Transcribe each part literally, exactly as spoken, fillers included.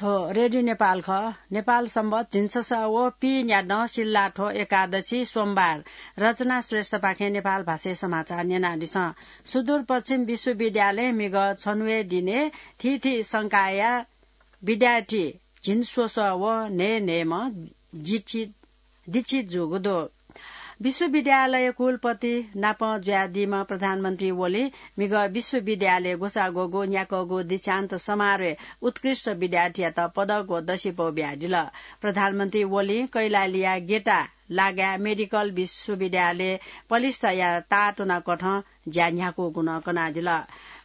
हो, रेडियो नेपाल खः। नेपाल संवत झिंछसः व पीन्यादँ सिल्लाथ्व एकादशी सोमबार। रचना श्रेष्ठपाखें नेपाल भाषाय् समाचार न्यनादिसँ। सुदूरपश्चिम विश्वविद्यालयं म्हिगः छन्हुया दिने थीथी संकायया विद्यार्थी झिंस्वसः व न्हय्‌न्हय्‌म्ह जिचि दीक्षित जूगु दु। विश्वविद्यालय कुलपति नाप जुयादीम्ह प्रधानमन्त्री ओलीं म्हिगः विश्वविद्यालय ग्वसाः ग्वःगु न्याक्वःगु दीक्षान्त समारोहय् उत्कृष्ट विद्यार्थीयात पदक व दसिपौ बियादिल। प्रधानमन्त्री ओलीं कैलालीया गेटा लागाय् मेडिकल विश्वविद्यालय पलिस्ताया ताःतुना कथं ज्या न्ह्याकूगु नं कनादिल।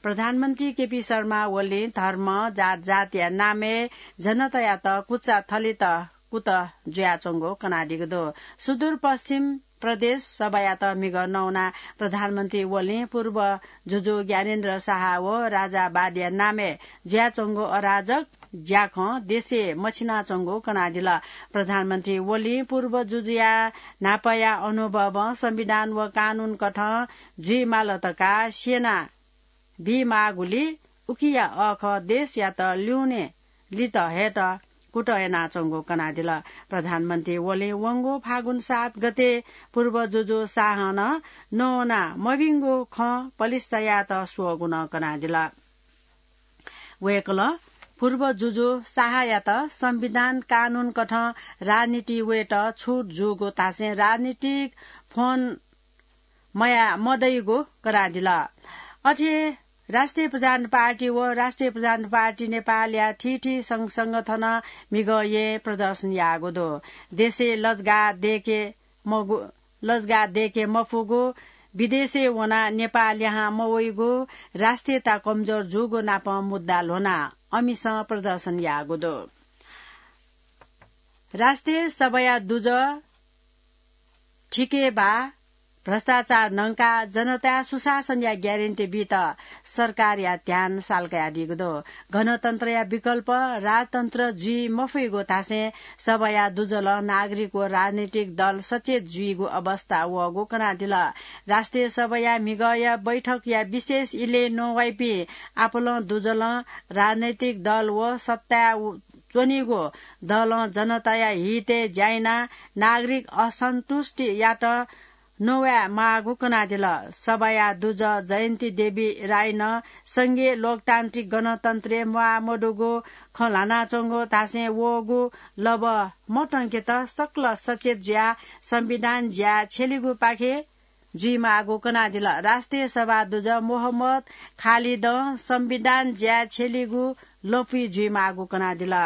प्रधानमन्त्री केपी शर्मा ओलीं धर्म, जातजातिया नामय् जनतायात कुचा थलित कुतः जुयाच्वंगु कनादीगु दु। सुदूरपश्चिम प्रदेश सभायात म्हिगः नवानाः प्रधानमन्त्री ओलीं पूर्व जुजु ज्ञानेन्द्र साहा व राजावादीया नामय् जुयाच्वंगु अराजक ज्याखँ देशय् मछिनाच्वंगु कनादिल। प्रधानमन्त्री ओलीं पूर्व जुजुया न्हापाया अनुभवं संविधान व कानून कथं जुइमाल धकाः स्यना बीमाःगुलिं उकिया अःखः देशयात ल्यूने लित हयेत कुतः यानाच्वंगु कनादिल। प्रधानमन्त्री ओलीं वंगु फागुन सात गते पूर्व जुजु साहं नं नवाना मभिंगु खँ पलिस्तायात स्वःगु नं कनादिल। वय्‌कलं पूर्व जुजु साहायात संविधान कानून कथं राजनीति वयेत छुट जूगु धासें राजनीतिक फोन मया मदइगु कनादिल। अथे राष्ट्रिय प्रजातन्त्र पार्टी व राष्ट्रिय प्रजातन्त्र पार्टी नेपालया थीथी संघ संगठनं म्हिगः येँ प्रदर्शन याःगु दु। देशय् लजगाः दय्‌के मगु, लजगाः दय्‌के मफुगु, विदेशय् वनाः नेपाः लिहां मवइगु, राष्ट्रियता कमजोर जूगु नापं मुद्दा ल्ह्वनाः अमिसं प्रदर्शन याःगु दु। राष्ट्रिय सभाया दुजः थिके बा भ्रष्टाचार न्हंकाः जनताया सुशासनया ग्यारेन्टी बीत सरकारया ध्यान साल कयादीगु दु। गणतन्त्रया विकल्प राजतन्त्र जुइ मफइगु धासें सभाया दुजलं नागरिक व राजनीतिक दल सचेत जुइगु अवस्था वःगु कनादिल। राष्ट्रिय सभाया म्हिगःया बैठकया विशेष इलय् नवाइपिं आपालं दुजलं राजनैतिक दल व सत्ताय् च्वनीगु दलं जनताया हितय् ज्या यानाः नागरिक असन्तुष्टियात नवाये माःगु कनादिल। सभाया दुजः जयन्ती देवी राईनं संघीय लोकतान्त्रिक गणतन्त्रय् म्वाः मदुगु खँ ल्हानाच्वंगु धासें वःगु लबः मतंकेत सकल सचेत जुयाः संविधान ज्या छ्यलीगुपाखे जुइमाःगु कनादिल। राष्ट्रिय सभा दुजः मोहम्मद खालिदं संविधान ज्या छ्यलीगु लँपुइ जुइमाःगु कनादिल।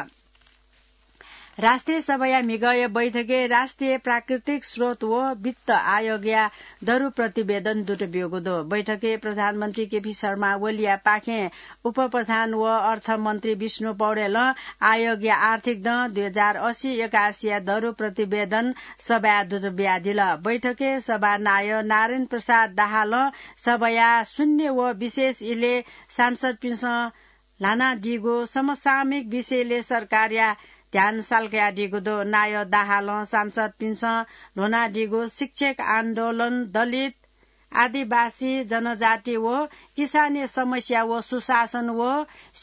राष्ट्रिय सभाया म्हिगःया बैठकय् राष्ट्रिय प्राकृतिक स्रोत व वित्त आयोगया दरु प्रतिवेदन दुत ब्यूगु दु। बैठकय् प्रधानमन्त्री केपी शर्मा ओलीया पाखें उपप्रधान व अर्थमन्त्री विष्णु पौडेलं आयोगया आर्थिक दँ दुई हजार असी एकासीया दरु प्रतिवेदन सभाय् दुत बियादिल। बैठकय् सभानायः नारायण प्रसाद दाहालं सभाया शून्य व विशेष इलय् सांसदपिन्सं ल्हानादीगु समसामयिक विषयलय् सरकारया ध्यान साल कयादीगु दु। नायः दाहालं सांसदपिन्सं ल्ह्वनादीगु शिक्षक आन्दोलन, दलित, आदिवासी जनजाति व किसानया समस्या व सुशासन व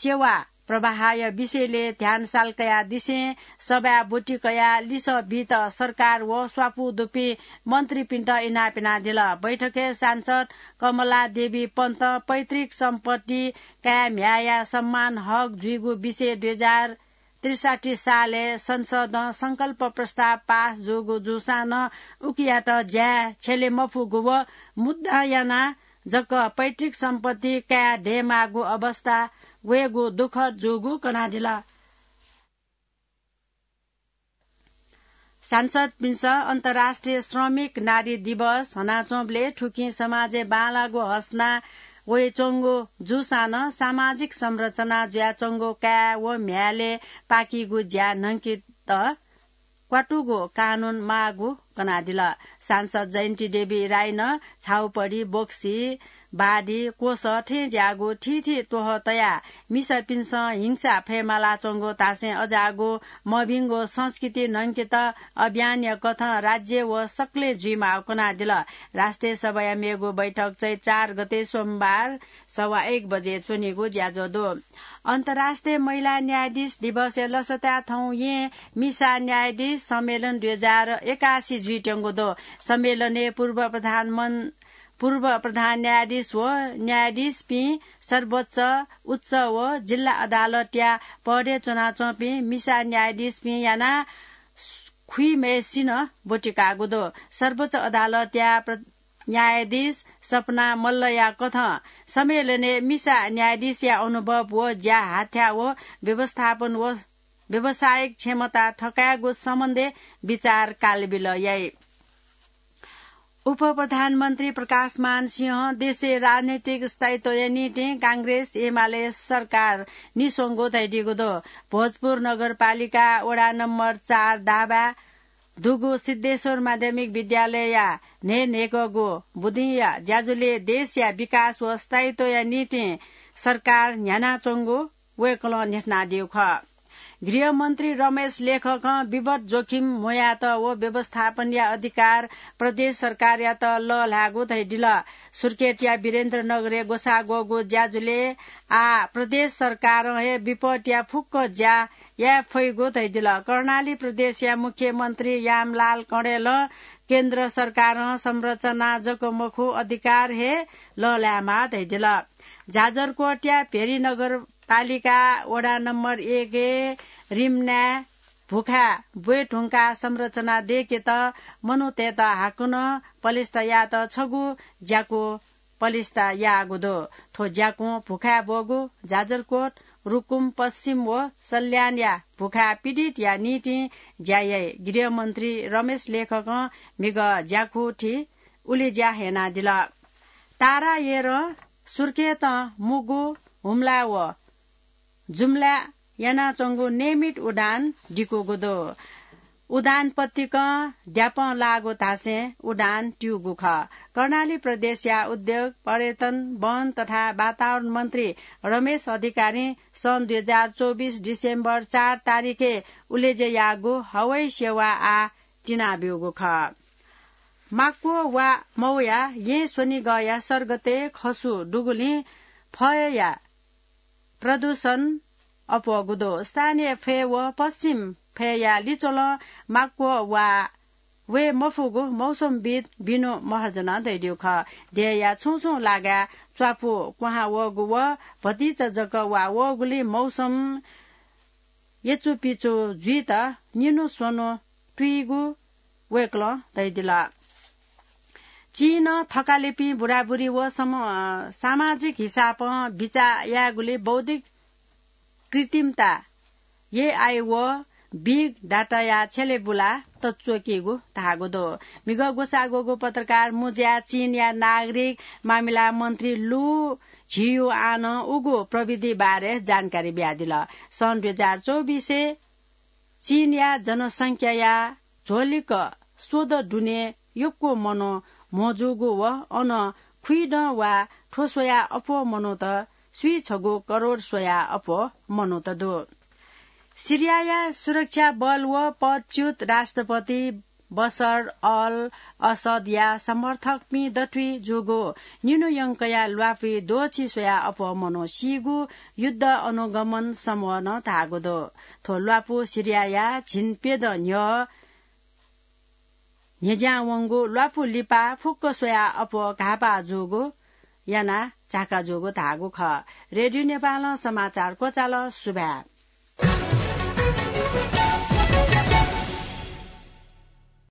सेवा प्रवाहया विषयलय् ध्यान साल कयादिसें सभाय् ब्वति कयाः लिसः बीत सरकार व स्वापू दुपिं मन्त्रीपिन्त इनाप यानादिल। बैठकय् सांसद कमला देवी पन्तं पैतृक सम्पत्ति काय् म्ह्याय्‌या सम्मान हक जुइगु विषय दुई हजार त्रिसठी सालय् संसदं संकल्प प्रस्ताव पास जूगु जूसां नं उकियात ज्याय् छ्यले मफुगु व मुद्दा यानाः जक पैतृक सम्पत्ति काय् दयेमाःगु अवस्था वयेगु दुःखद जूगु कनादिल। सांसदपिन्सं अन्तर्राष्ट्रिय श्रमिक नारी दिवस हनाच्वंबलय् थुकिं समाजय् बांलाःगु हसना वयाच्वंगु जूसां नं सामाजिक संरचना जुयाच्वंगु काय् व म्ह्याय्‌लय् पाकीगु ज्या न्हंकेत क्वातुगु कानून माःगु कनादिल। सांसद जयन्ती देवी राईनं छाउपडी, बोक्सी, बादी कोसः थें ज्याःगु थीथी त्वहः तयाः मिसापिन्सं हिंसा फयेमालाच्वंगु धासें अज्याःगु मभिंगु संस्कृति न्हंकेत अभियानया कथं राज्य व सकलें जुइमाःगु कनादिल। राष्ट्रिय सभाया मेगु बैठक चैत चार गते सोमबार सवा एक बजे च्वनीगु ज्याझ्वः दु। अन्तर्राष्ट्रिय महिला न्यायाधीश दिवसया लसताय् थौं येँ मिसा न्यायाधीश सम्मेलन दुई हजार एकासी जुइत्यंगु दु। सम्मेलनय् पूर्व प्रधानमन-, पूर्व प्रधान न्यायाधीश व न्यायाधीशपिं, सर्वोच्च, उच्च व जिल्ला अदालतया पदय् च्वनाच्वंपिं मिसा न्यायाधीशपिं यानाः खुइम्हय्सिनं ब्वति काःगु दु। सर्वोच्च अदालतया प्र-, न्यायाधीश सपना मल्लया कथं सम्मेलनय् मिसा न्यायाधीशया अनुभव व ज्या हाथ्या व व्यवस्थापन व व्यावसायिक क्षमता थकायेगु सम्बन्धय् विचार कालबिल याइ। उपप्रधानमन्त्री प्रकाशमान सिंहं देशय् राजनैतिक स्थायित्वया निंतिं कांग्रेस एमाले सरकार निस्वंगु धयादीगु दु। भोजपुर नगरपालिका वडा नम्बर चार दाबाय् दुगु सिद्धेश्वर माध्यमिक विद्यालयया न्हय्न्हय्‌कःगु बुदिंया ज्याझ्वलय् देशया विकास व स्थायित्वया निंतिं सरकार न्ह्यानाच्वंगु वय्‌कलं न्ह्यथनादीगु खः। गृहमन्त्री रमेश लेखकं विवट जोखिम म्हुयात व व्यवस्थापनया अधिकार प्रदेश सरकारयात लःल्हायेगु धयादिल। सुर्खेतया वीरेन्द्रनगरय् ग्वसाः ग्वःगु ज्याझ्वलय् आः प्रदेश सरकारं हे विपदया फुक्क ज्या याये फइगु धयादिल। कर्णाली प्रदेशया मुख्यमन्त्री यामलाल कणेलं केन्द्र सरकारं संरचना जक मखु, अधिकार हे लःल्हायेमाः धयादिल। जाजरकोटया भेरी नगरपालिका वडा नम्बर एकय् रिमनाय् भुखाय् ब्वये धुंकाः संरचना दय्‌केत मनूतय्‌त हाकनं पलिस्था यायेत छगू ज्याकू पलिस्था याःगु दु। थ्व ज्याकुं भुखाय् ब्वःगु जाजरकोट, रुकुम पश्चिम व सल्यानया भुखाय् पीडितया निंतिं ज्या याइ। गृहमन्त्री रमेश लेखकं म्हिगः ज्याकू थी उलेज्या यानादिल। तारायेरं सुर्खेतं मुगु हुम्ला व जुम्लाय् यानाच्वंगु नियमित उडान दिकूगु दु। उडान पतिकं द्यापं लाःगु धासें उडान त्यूगु खः। कर्णाली प्रदेशया उद्योग, पर्यटन, वन तथा वातावरण मन्त्री रमेश अधिकारीं सन् दुई हजार चौबिस डिसेम्बर चार तारिखय् उलेज्या याःगु हवाई सेवा आः तिनाब्यूगु खः। माक्व वा मौया येँ स्वनिगःया सर्गतय् खसु दुगुलिं फय्‌या प्रदूषण अप्वःगु दु। स्थानीय फय् व पश्चिम फय्‌या लिच्वलं माक्व वा वये मफुगु मौसमविद् बिनु महर्जनं धयादीगु खः। देय्‌या छुं छुं लागाय् च्वापु क्वहां वःगु व भतिचा जक वा वःगुलिं मौसम यचुपिचु जुइत निन्हु स्वन्हु तुइगु वय्‌कलं धयादिल। चीनं थकालिपिं बुराबुरी व सम-, अ, सामाजिक हिसाबं बिचाः यायेगुली बौद्धिक कृत्रिमता, एआई व बिग डाटाया छ्यले बुला तच्वकीगु धाःगु दु। म्हिगः ग्वसाः ग्वःगु पत्रकार मुँज्याय् चीनया नागरिक मामिला मन्त्री लु झियुआनं उगु प्रविधि बारे जानकारी बियादिल। सन् दुई हजार चौबिसय् चीनया जनसंख्याया झ्वलिक स्वदँ दुने यक्व मनू म्हो जूगु व अन खुइदँ वा थ्व स्वयाः अप्वः मनूत स्वीछगू करोड स्वयाः अप्वः मनूत दु। सिरियाया सुरक्षा बल व पदच्युत राष्ट्रपति बशर अल असदया समर्थकपिं दथुइ जूगु निन्हु यंकया ल्वापुइ द्वःछि स्वयाः अप्वः मनू सीगु युद्ध अनुगमन समूहं धाःगु दु। थ्व ल्वापु सिरियाया झिंप्यदँ न्ह्यः न्ह्यज्यां वंगु ल्वापु लिपा फुक्क स्वयाः अप्वः घाःपाः जूगु यानाः झाका जूगु धाःगु खः। रेडियो नेपालं समाचार क्वचाल। सुभाय्।